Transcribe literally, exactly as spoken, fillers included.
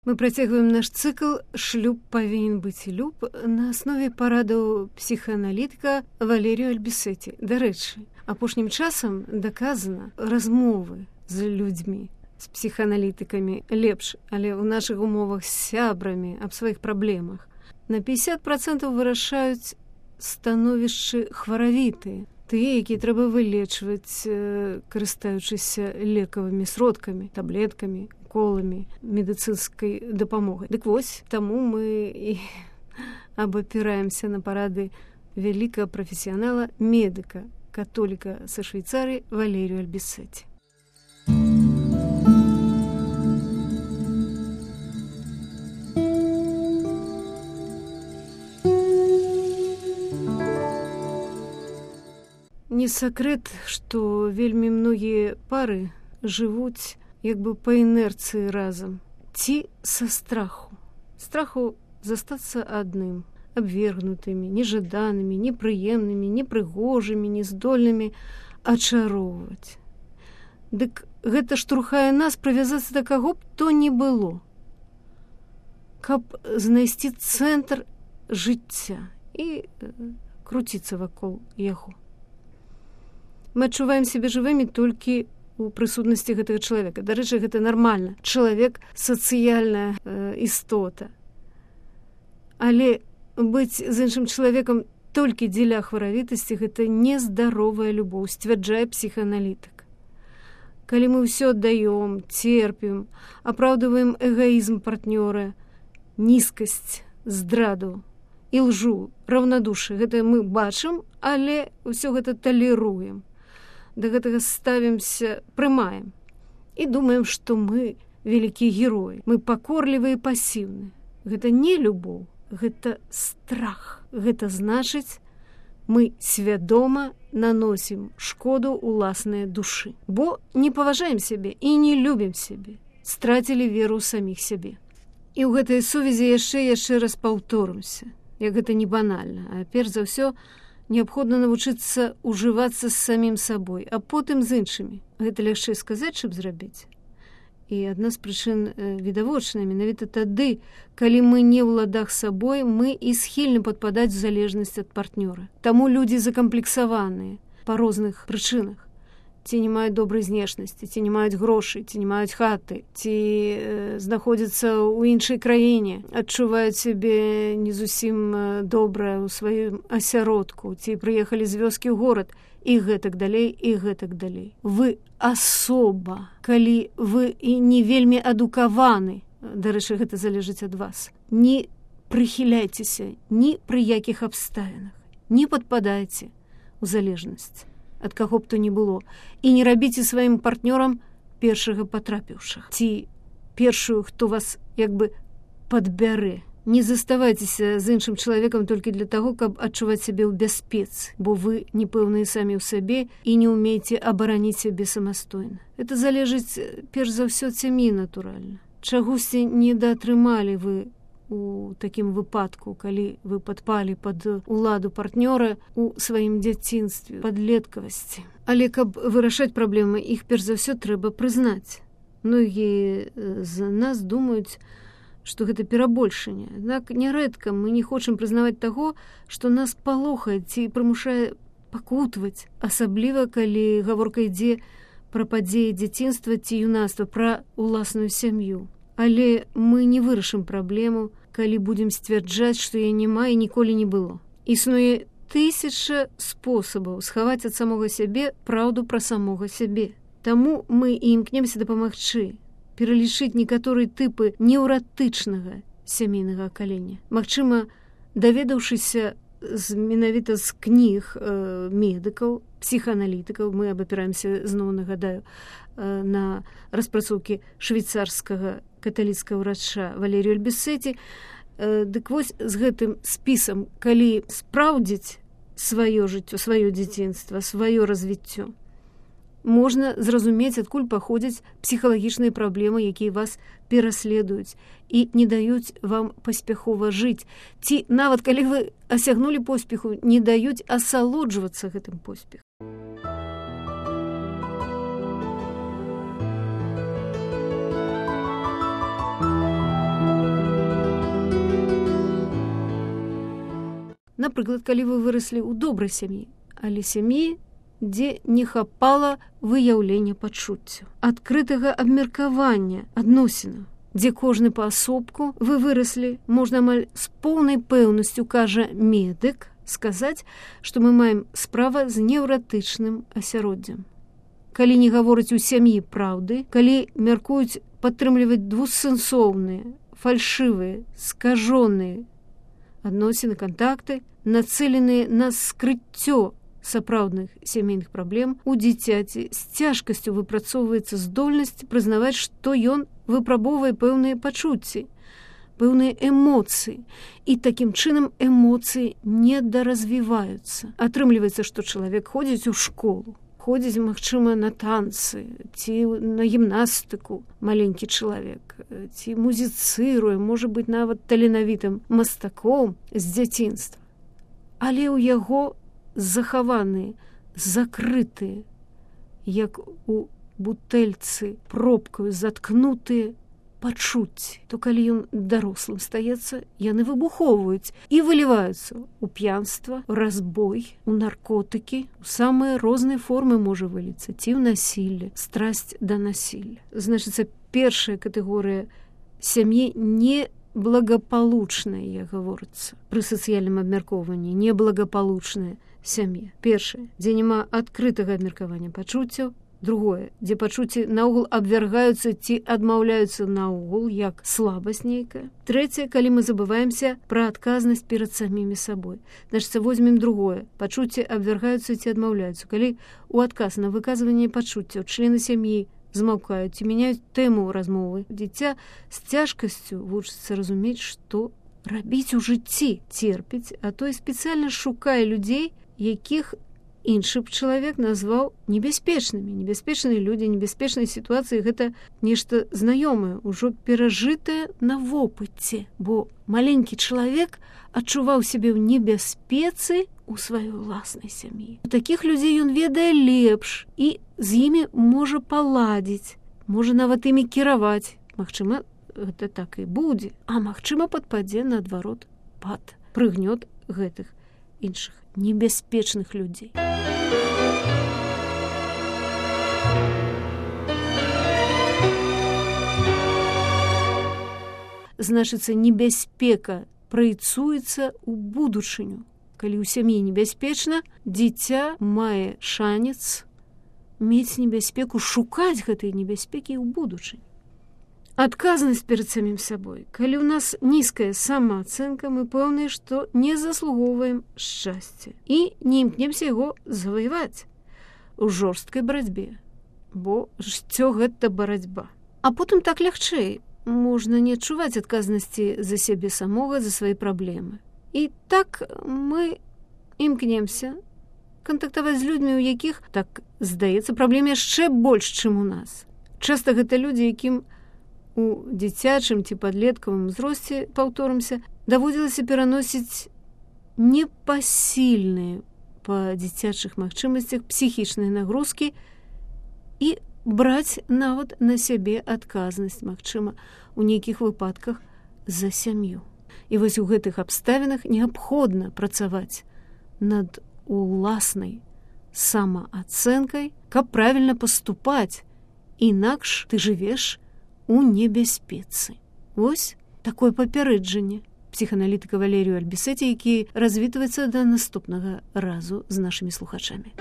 Мы працягваем наш цыкл «Шлюб павінен быць люб» на аснове парадаў псіхааналітыка Валерію Альбісеці. Дарэчы, апошнім часам даказана, размовы з людзьмі, з псіхааналітыкамі лепш, але ў нашых умовах з сябрамі аб сваіх праблемах на пятьдесят процентов вырашаюць становішчы хваравітыя, тыя, якія трэба вылечваць, карыстаючыся лекавымі сродкамі, таблеткамі, уколамі, медыцынскай дапамогай. Дык вось, таму мы і абапіраемся на парады вялікага прафесіянала, медыка, католіка са Швейцарыі Валерію Альбісеці. Не сакрэт, што вельмі многія пары жывуць як бы па інерцыі разам, ці са страху. Страху застацца адным, абвергнутымі, нежаданымі, непрыемнымі, непрыгожымі, нездольнымі ачароўваць. Дык гэта штурхае нас прывязацца да каго б то не было, каб знайсці цэнтр жыцця і круціцца вакол яго. Мы адчуваем сябе жывымі толькі у прысутнасці гэтага чалавека. Дарэчы, гэта нармальна. Чалавек – сацыяльная э, істота. Але быць з іншым чалавекам толькі дзеля хваравітасці – гэта нездаровая любоў, сцвярджае псіхааналітык. Калі мы ўсё аддаём, церпім, апраўдваем эгоізм партнёра, нізкасць, здраду і лжу, раўнадушы – гэта мы бачым, але ўсё гэта талеруем. Да гэтага ставімся, прымаем і думаем, што мы вялікія героі. Мы пакорлівыя і пасіўныя. Гэта не любоў, гэта страх. Гэта значыць, мы свядома наносім шкоду ўласнай душы. Бо не паважаем сябе і не любім сябе. Страцілі веру ў саміх сябе. І ў гэтай сувязі яшчэ яшчэ раз паўторымся, як гэта не банальна, а перш за ўсё неабходна навучыцца ўжывацца з самім сабой, а потым з іншымі. Гэта лягчэй сказаць, чым зрабіць. І адна з прычын відавочная, менавіта тады, калі мы не ў ладах сабой, мы і схільны падпадаць у залежнасць ад партнёра. Таму людзі закамплексаваныя па розных прычынах. Ці не маюць добрай знешнасці, ці не маюць грошай, ці не маюць хаты, ці э, знаходзяцца ў іншай краіне, адчуваюць сябе не зусім добра ў сваім асяродку, ці прыехалі з вёскі ў горад, і гэтак далей, і гэтак далей. Вы асоба, калі вы і не вельмі адукаваны, дарэчы, гэта залежыць ад вас, не прыхіляйцеся ні пры якіх абставінах, не падпадайце ў залежнасць ад каго б то не было, і не рабіце сваім партнёрам першага патрапіўшых, ці першую, хто вас як бы падбярэ. Не заставайцеся з іншым чалавекам толькі для таго, каб адчуваць сябе ў бяспецы, бо вы непэўныя самі ў сабе і не ўмееце абараніць сябе самастойна. Это залежыць перш за ўсё ад сям'і, натуральна. Чагосьці недаатрымалі вы у такім выпадку, калі вы падпалі пад уладу партнёра у сваім дзяцінстве, падлеткавасці. Але каб вырашаць праблемы, іх перш за ўсё трэба прызнаць. Многія з нас думаюць, што гэта перабольшанне. Аднак нярэдка мы не хочам прызнаваць таго, што нас палохае ці прымушае пакутваць, асабліва калі гаворка ідзе пра падзеі дзяцінства ці юнацтва, пра ўласную сям'ю. Але мы не вырашым праблему, калі будзем сцвярджаць, што яе няма і ніколі не было. Існуе тысяча спосабаў схаваць ад самога сябе праўду пра самога сябе. Таму мы і імкнемся дапамагчы, пералічыць некаторыя тыпы неўратычнага сямейнага акалення. Магчыма, даведаўшыся з, менавіта з кніг э, медыкаў, псіхааналітыкаў, мы абапіраемся, зноў нагадаю, э, на распрацоўкі швейцарскага каталіцкага ўрача Валерію Альбісеці. Э, дык вось з гэтым спісам, калі спраўдзіць сваё жыццё, сваё дзяцінства, сваё развіццё, можна зразумець, адкуль паходзяць псіхалагічныя праблемы, якія вас пераследуюць і не даюць вам паспяхова жыць. Ці нават калі вы асягнулі поспеху, не даюць асалоджвацца гэтым поспехам. Напрыклад, калі вы выраслі ў добрай сям'і, але сям'і, дзе не хапала выяўлення пачуццяў, адкрытага абмеркавання адносінаў, дзе кожны паасобку вы выраслі, можна амаль з поўнай пэўнасцю, кажа медык, сказаць, што мы маем справа з неўратычным асяроддзем. Калі не гавораць у сям'і праўды, калі мяркуюць падтрымліваць двусэнсоўныя, фальшывыя, скажоныя адносіны, кантакты, нацэленыя на скрыццё сапраўдных сямейных праблем, у дзіцяці з цяжкасцю выпрацоўваецца здольнасць прызнаваць, што ён выпрабоўвае пэўныя пачуцці, пэўныя эмоцыі, і такім чынам эмоцыі недаразвіваюцца. Атрымліваецца, што чалавек ходзіць у школу, ходзіць, магчыма, на танцы, ці на гімнастыку, маленькі чалавек, ці музіцыруе, можа быць, нават таленавітым мастаком з дзяцінства. Але ў яго захаваныя, закрытыя, як у бутэльцы пробкаю заткнутыя пачуцці, то калі ён дарослым стаецца, яны выбухоўваюць і выліваюцца ў п'янства, разбой, у наркотыкі, у самыя розныя формы можа выліцца, ці ў насілле, страсць да насілля. Значыцца, першая катэгорыя сям'і не благополучная, як гаворыцца, пры сацыяльным абмяркоўванні, неблагополучная сям'я. Першае, дзе няма адкрытага абмеркавання пачуццяў. Другое, дзе пачуцці наогул абвяргаюцца ці адмаўляюцца наогул, як слабасць нейкая. Трэцяе, калі мы забываемся пра адказнасць перад самімі сабой. Значыцца, возьмем другое. Пачуцці абвяргаюцца ці адмаўляюцца. Калі у адказ на выказванне пачуццяў члены сям'і змаўкаюць ці мяняюць тэму размовы, дзіця з цяжкасцю вучыцца разумець, што рабіць у жыцці, церпіць, а то і спецыяльна шукае людзей, якіх іншы б чалавек назваў небяспечнымі. Небяспечныя людзі, небяспечныя сітуацыі — гэта нешта знаёмае, ужо перажытае на вопыце, бо маленькі чалавек адчуваў сябе ў небяспецы у сваёй уласнай сям'і. У такіх людзей ён ведае лепш і з імі можа паладзіць, можа нават імі кіраваць. Магчыма, гэта так і будзе, а магчыма, падпадзе наадварот пад прыгнёт гэтых іншых небяспечных людзей. Значыцца, небяспека праецуецца ў будучыню. Калі ў сям'і небяспечна, дзіця мае шанец мець небяспеку, шукаць гэтай небяспекі ў будучыні. Адказнасць перад самім сабой. Калі ў нас нізкая самаацэнка, мы пэўныя, што не заслугоўваем шчасця і не імкнемся яго заваяваць у жорсткай барацьбе, бо жыццё — гэта барацьба. А потым так лягчэй. Можна не адчуваць адказнасці за сябе самога, за свае праблемы. І так мы імкнемся кантактаваць з людзьмі, у якіх, так здаецца, праблем яшчэ больш, чым у нас. Часта гэта людзі, якім у дзіцячым ці падлеткавым узросце, паўторымся, даводзілася пераносіць непасільныя па дзіцячых магчымасцях псіхічныя нагрузкі і браць нават на сябе адказнасць, магчыма, у нейкіх выпадках за сям'ю. І вось у гэтых абставінах неабходна працаваць над уласнай самаацэнкай, каб правільна паступаць, інакш ты жывеш у небяспецы. Вось такое папярэджанне псіханалітыка Валерію Альбісеці, які развітваецца да наступнага разу з нашымі слухачамі.